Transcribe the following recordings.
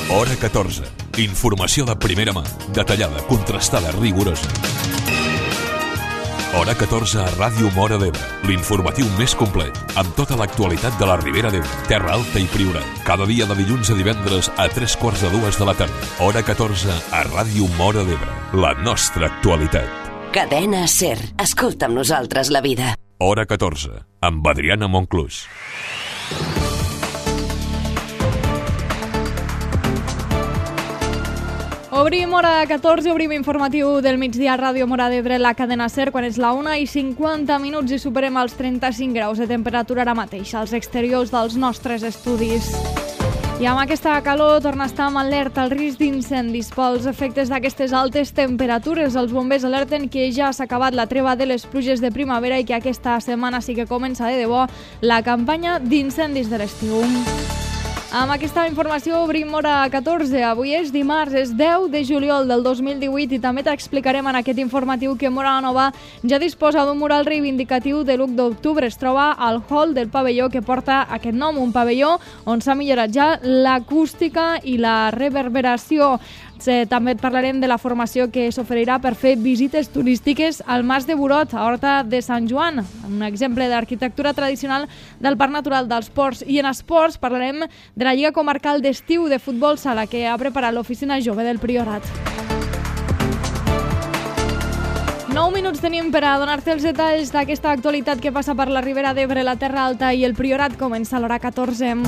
Hora 14. Informació de primera mà, detallada, contrastada, rigorosa. Hora 14 a Ràdio Móra d'Ebre, l'informatiu més complet, amb tota l'actualitat de la Ribera d'Ebre, Terra Alta i Priorat. Cada dia de dilluns a divendres a 3:45 de la tarda. Hora 14 a Ràdio Móra d'Ebre, la nostra actualitat. Cadena SER. Escolta amb nosaltres la vida. Hora 14, amb Adriana Monclús. Obrim hora 14, obrim informatiu del migdia a Ràdio Móra d'Ebre, la cadena SER, quan és la 1:50 i superem els 35 graus de temperatura ara mateix als exteriors dels nostres estudis. I amb aquesta calor torna a estar amb alerta el risc d'incendis pels efectes d'aquestes altes temperatures. Els bombers alerten que ja s'ha acabat la treva de les pluges de primavera i que aquesta setmana sí que comença de debò la campanya d'incendis de l'estiu. Amb aquesta informació obrim hora 14. Avui és dimarts, és 10 de juliol del 2018 i també t'explicarem en aquest informatiu que Móra la Nova ja disposa d'un mural reivindicatiu de l'1 d'octubre. Es troba al hall del pavelló que porta aquest nom, un pavelló on s'ha millorat ja l'acústica i la reverberació. També et parlarem de la formació que s'oferirà per fer visites turístiques al Mas de Burot, a Horta de Sant Joan, un exemple d'arquitectura tradicional del Parc Natural dels Ports. I en esports parlarem de la Lliga Comarcal d'Estiu de Futbol Sala que ha preparat l'Oficina Jove del Priorat. 9 minuts tenim per a donar-te els detalls d'aquesta actualitat que passa per la Ribera d'Ebre, la Terra Alta i el Priorat. Comença a l'hora 14.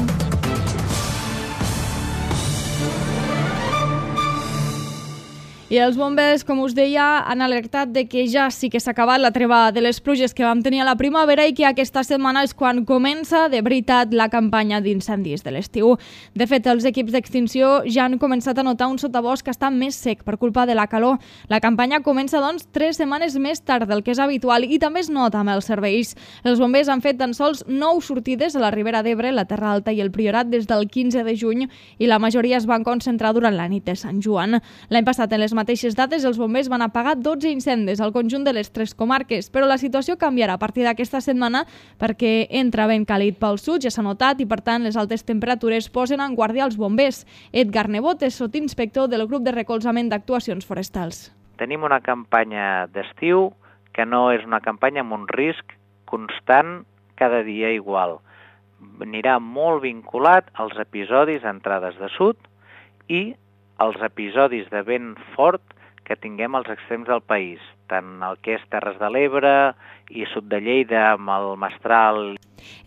I els bombers, com us deia, han alertat de que ja sí que s'ha acabat la treva de les pluges que vam tenir a la primavera i que aquesta setmana és quan comença de veritat la campanya d'incendis de l'estiu. De fet, els equips d'extinció ja han començat a notar un sotabosc que està més sec per culpa de la calor. La campanya comença, doncs, 3 setmanes més tard del que és habitual i també es nota amb els serveis. Els bombers han fet tan sols 9 sortides a la Ribera d'Ebre, la Terra Alta i el Priorat des del 15 de juny i la majoria es van concentrar durant la nit de Sant Joan. L'any passat, en les mateixes dates, els bombers van apagar 12 incendis al conjunt de les 3 comarques, però la situació canviarà a partir d'aquesta setmana perquè entra vent càlid pel sud, ja s'ha notat, i per tant les altes temperatures posen en guàrdia els bombers. Edgar Nebot és sotinspector del grup de recolzament d'actuacions forestals. Tenim una campanya d'estiu que no és una campanya amb un risc constant cada dia igual. Anirà molt vinculat als episodis d'entrades de sud i els episodis de vent fort que tinguem als extrems del país, tant el que és Terres de l'Ebre i sud de Lleida amb el Mestral.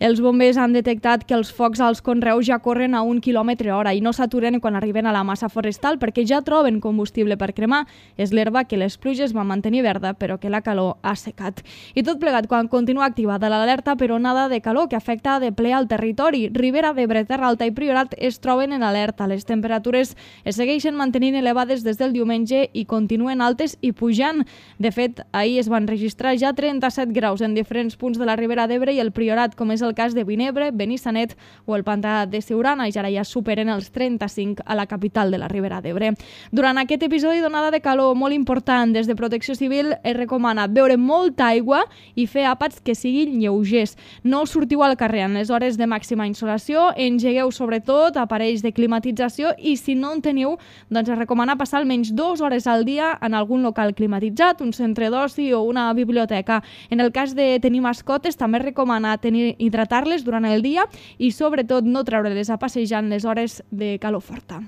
Els bombers han detectat que els focs als conreus ja corren a 1 km/h i no s'aturen quan arriben a la massa forestal perquè ja troben combustible per cremar. És l'herba que les pluges van mantenir verda però que la calor ha secat. I tot plegat quan continua activada l'alerta per onada de calor que afecta de ple al territori. Ribera d'Ebre, Terra Alta i Priorat es troben en alerta. Les temperatures es segueixen mantenint elevades des del diumenge i continuen altes i pujant. De fet, ahir es van registrar ja 37 graus en diferents punts de la Ribera d'Ebre i el Priorat, com és el cas de Vinebre, Benissanet o el Pantà de Siurana, i ara ja superen els 35 a la capital de la Ribera d'Ebre. Durant aquest episodi d'onada de calor molt important, des de Protecció Civil es recomana beure molta aigua i fer àpats que siguin lleugers. No sortiu al carrer en les hores de màxima insolació, engegueu sobretot aparells de climatització i si no en teniu, doncs es recomana passar almenys 2 hores al dia en algun local climatitzat, un centre d'oci o una biblioteca. En el cas de tenir mascotes, també es recomana hidratar-les durant el dia i sobretot no treure-les a passejar en les hores de calor forta.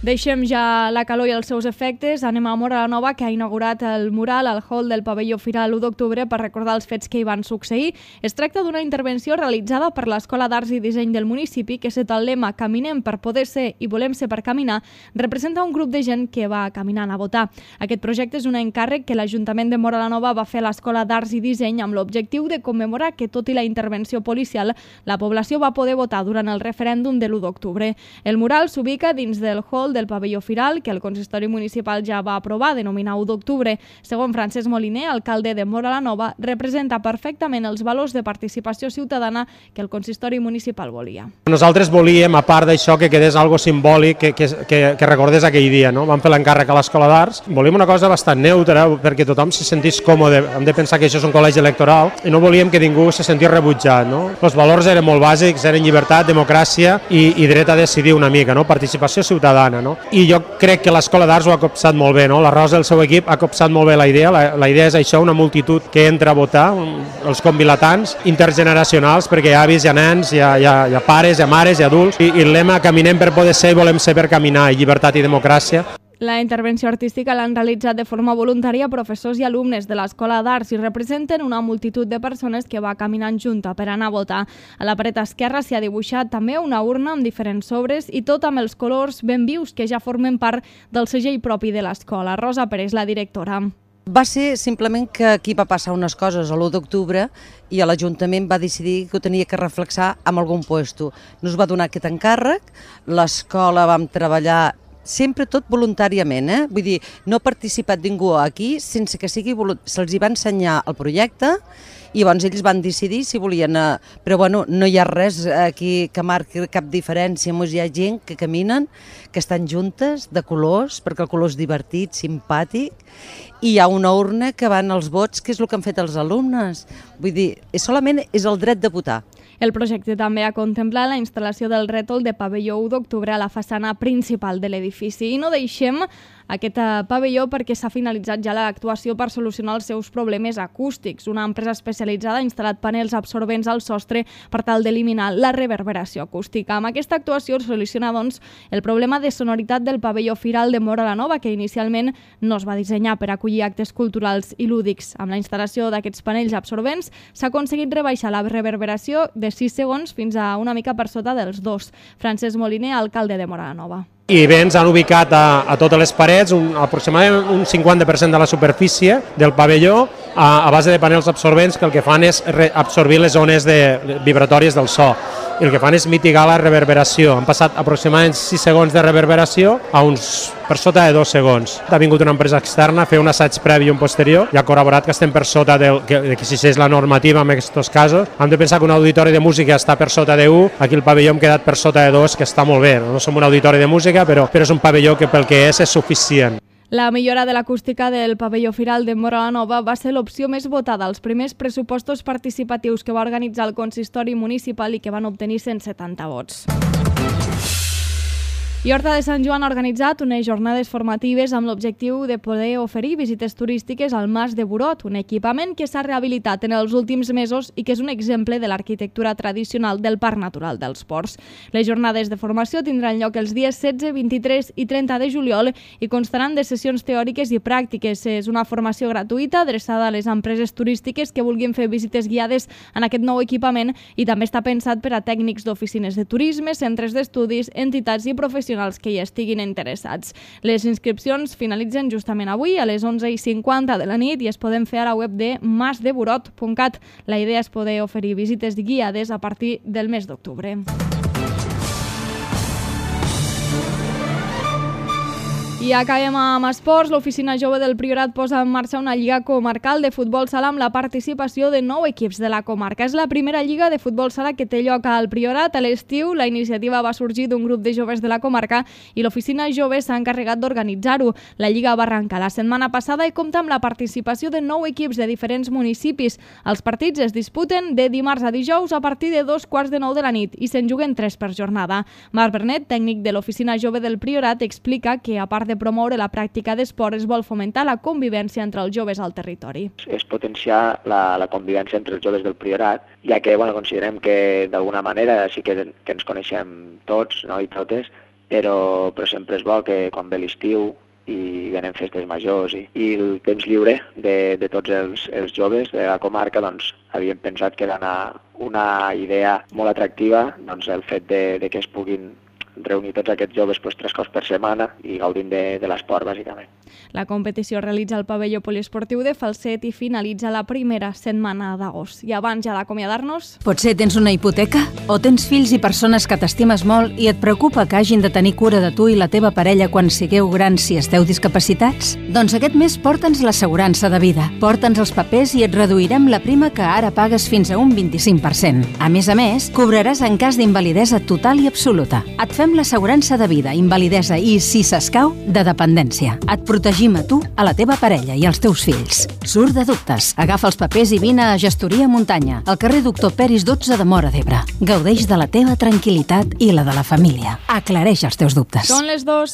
Deixem ja la calor i els seus efectes. Anem a Móra la Nova, que ha inaugurat el mural al hall del pavelló Firal l'1 d'octubre per recordar els fets que hi van succeir. Es tracta d'una intervenció realitzada per l'Escola d'Arts i Disseny del municipi que sota el lema "Caminem per poder ser i volem ser per caminar" representa un grup de gent que va caminant a votar. Aquest projecte és un encàrrec que l'Ajuntament de Móra la Nova va fer a l'Escola d'Arts i Disseny amb l'objectiu de commemorar que, tot i la intervenció policial, la població va poder votar durant el referèndum de l'1 d'octubre. El mural s'ubica dins del hall rètol del pavelló firal, que el consistori municipal ja va aprovar, denominar 1 d'octubre. Segons Francesc Moliner, alcalde de Móra la Nova, representa perfectament els valors de participació ciutadana que el consistori municipal volia. Nosaltres volíem, a part d'això, que quedés algo simbòlic que recordés aquell dia, no? Vam fer l'encàrrec a l'Escola d'Arts. Volíem una cosa bastant neutra perquè tothom se sentís còmode. Hem de pensar que això és un col·legi electoral i no volíem que ningú se sentís rebutjat, no? Els valors eren molt bàsics, eren llibertat, democràcia i dret a decidir una mica, no? Participació ciutadana, no? I jo crec que l'Escola d'Arts ho ha copsat molt bé, no? La Rosa i el seu equip ha copsat molt bé la idea. La idea és això, una multitud que entra a votar, els convilatants intergeneracionals, perquè hi ha avis, hi ha nens, hi ha pares, hi ha mares, hi ha adults, i el lema caminem per poder ser i volem ser per caminar, i llibertat i democràcia. La intervenció artística l'han realitzat de forma voluntària professors i alumnes de l'Escola d'Arts i representen una multitud de persones que va caminant junta per anar a votar. A la paret esquerra s'hi ha dibuixat també una urna amb diferents sobres i tot amb els colors ben vius que ja formen part del segell propi de l'escola. Rosa Pérez, la directora. Va ser simplement que aquí va passar unes coses a l'1 d'octubre i l'Ajuntament va decidir que ho tenia que reflexar amb algun puesto. Nos va donar aquest encàrrec, l'escola vam treballar sempre tot voluntàriament, Vull dir, no ha participat ningú aquí sense que sigui se'ls va ensenyar el projecte i llavors ells van decidir si volien, però bueno, no hi ha res aquí que marqui cap diferència, hi ha gent que caminen, que estan juntes, de colors, perquè el color és divertit, simpàtic, i hi ha una urna que van els vots, que és el que han fet els alumnes. Vull dir, solament és el dret de votar. El projecte també ha contemplat la instal·lació del rètol de pavelló 1 d'octubre a la façana principal de l'edifici. I no deixem aquest pavelló perquè s'ha finalitzat ja l'actuació per solucionar els seus problemes acústics. Una empresa especialitzada ha instal·lat panels absorbents al sostre per tal d'eliminar la reverberació acústica. Amb aquesta actuació es soluciona, doncs, el problema de sonoritat del pavelló firal de Móra la Nova, que inicialment no es va dissenyar per acollir actes culturals i lúdics. Amb la instal·lació d'aquests panells absorbents s'ha aconseguit rebaixar la reverberació de 6 segons fins a una mica per sota dels 2. Francesc Moliner, alcalde de Móra la Nova. I bé, ens han ubicat a totes les parets, aproximadament un 50% de la superfície del pavelló a base de panels absorbents que el que fan és absorbir les ones vibratòries del so. I el que fan és mitigar la reverberació. Han passat aproximadament 6 segons de reverberació a uns per sota de 2 segons. Ha vingut una empresa externa a fer un assaig previ i un posterior i ha corroborat que estem per sota de que existeix la normativa en aquests casos. Hem de pensar que un auditori de música està per sota de 1, aquí el pavelló hem quedat per sota de 2, que està molt bé. No som un auditori de música, però és un pavelló que pel que és suficient. La millora de l'acústica del pavelló firal de Móra la Nova va ser l'opció més votada als primers pressupostos participatius que va organitzar el consistori municipal i que van obtenir 170 vots. I Horta de Sant Joan ha organitzat unes jornades formatives amb l'objectiu de poder oferir visites turístiques al Mas de Burot, un equipament que s'ha rehabilitat en els últims mesos i que és un exemple de l'arquitectura tradicional del Parc Natural dels Ports. Les jornades de formació tindran lloc els dies 16, 23 i 30 de juliol i constaran de sessions teòriques i pràctiques. És una formació gratuïta adreçada a les empreses turístiques que vulguin fer visites guiades en aquest nou equipament i també està pensat per a tècnics d'oficines de turisme, centres d'estudis, entitats i professionals que hi estiguin interessats. Les inscripcions finalitzen justament avui a les 11:50 de la nit i es poden fer a la web de masdeburot.cat. La idea és poder oferir visites guiades a partir del mes d'octubre. I acabem amb esports. L'Oficina Jove del Priorat posa en marxa una lliga comarcal de futbol sala amb la participació de 9 equips de la comarca. És la primera lliga de futbol sala que té lloc al Priorat. A l'estiu, la iniciativa va sorgir d'un grup de joves de la comarca i l'Oficina Jove s'ha encarregat d'organitzar-ho. La lliga va arrencar la setmana passada i compta amb la participació de 9 equips de diferents municipis. Els partits es disputen de dimarts a dijous a partir de 2:45 de la nit i se'n juguen 3 per jornada. Marc Bernet, tècnic de l'Oficina Jove del Priorat, explica que, a part de promoure la pràctica d'esport, es vol fomentar la convivència entre els joves al territori. És potenciar la convivència entre els joves del Priorat, ja que considerem que d'alguna manera sí que ens coneixem tots, no, i totes, però sempre és bo que quan ve l'estiu i venen festes majors i el temps lliure de tots els joves de la comarca, doncs havíem pensat que era una idea molt atractiva, doncs el fet de que es puguin reunir tots aquests joves 3 cops per setmana i gaudint de l'esport, bàsicament. La competició es realitza al pavelló poliesportiu de Falset i finalitza la primera setmana d'agost. I abans ja d'acomiadar-nos... Potser tens una hipoteca? O tens fills i persones que t'estimes molt i et preocupa que hagin de tenir cura de tu i la teva parella quan sigueu grans si esteu discapacitats? Doncs aquest mes porta'ns l'assegurança de vida. Porta'ns els papers i et reduirem la prima que ara pagues fins a un 25%. A més, cobraràs en cas d'invalidesa total i absoluta. Et fem l'assegurança de vida, invalidesa i, si s'escau, de dependència. Et protegim a tu, a la teva parella i als teus fills. Surt de dubtes. Agafa els papers i vine a Gestoria Muntanya, al carrer Doctor Peris 12 de Móra d'Ebre. Gaudeix de la teva tranquil·litat i la de la família. Aclareix els teus dubtes. Són les 2.